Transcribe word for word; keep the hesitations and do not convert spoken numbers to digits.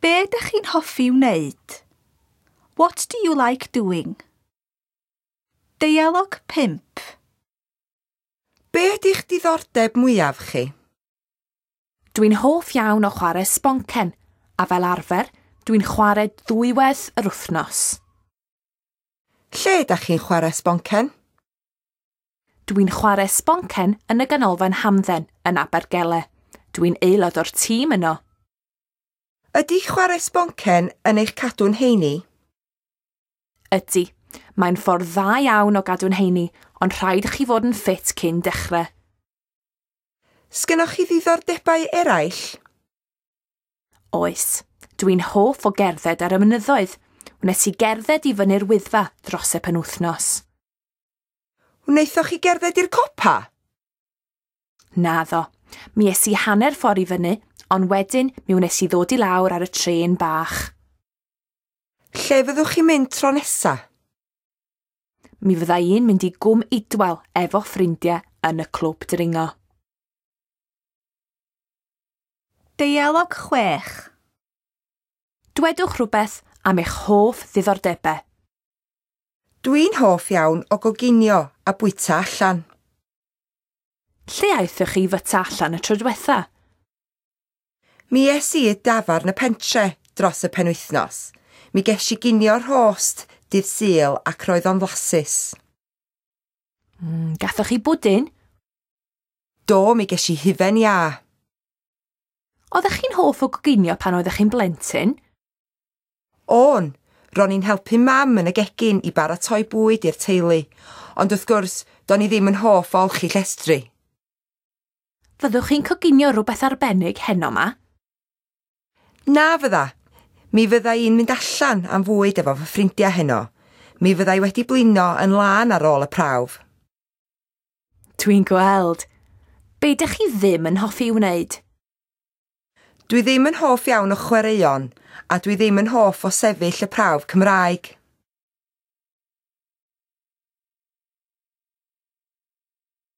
Be ydych chi'n hoffi wneud? What do you like doing? Deialog pump. Be ydy'ch diddordeb mwyaf chi? Dwi'n hoff iawn o chwarae sboncen, a fel arfer, dwi'n chwarae ddwywaith yr wythnos. Lle ydych chi'n chwarae sboncen? Dwi'n chwarae sboncen yn y ganolfan hamdden yn Abergele. Dwi'n aelod o'r tîm yno. Ydy chwarae sboncen yn eich cadw'n heini? Ydy. Mae'n ffordd dda iawn o gadw'n heini, ond rhaid i chi fod yn ffit cyn dechrau. Sgynnoch chi ddiddordebau eraill? Oes. Dwi'n hoff o gerdded ar y mynyddoedd. Wnes i gerdded i fyny'r Wyddfa dros y penwythnos. Wnaethoch chi gerdded i'r copa? Naddo. Mi es i hanner ffordd i fyny, ond wedyn mi wnes i ddod i lawr ar y trên bach. Lle fyddwch chi'n mynd tro nesa? Mi fydda i'n mynd i Gwm Idwal efo ffrindiau yn y clwb dringo. Deialog chwech. Dwedwch rhywbeth am eich hoff ddiddordebau. Dwi'n hoff iawn o goginio a bwyta allan. Lle aethoch chi fyta allan y tro diwetha? Mi es i i dafarn y pentre dros y penwythnos. Mi ges i ginio rhost dydd Sul ac roedd o'n flasus. Mm, gathoch chi bwdin? Do, mi ges i hufen iâ. Oeddech chi'n hoff o goginio pan oeddech chi'n blentyn? O'n, ro'n i'n helpu mam yn y gegin i baratoi bwyd i'r teulu, ond wrth gwrs, do'n i ddim yn hoff o olchi llestri. Fyddwch chi'n coginio rhywbeth arbennig heno 'ma? Na fydda. Mi fydda i'n mynd allan am fwyd efo fy ffrindiau heno. Mi fydda i wedi blino yn lân ar ôl y prawf. Dwi'n gweld. Be ydych chi ddim yn hoffi wneud? Dwi ddim yn hoff iawn o chwaraeon, a dwi ddim yn hoff o sefyll y prawf Cymraeg.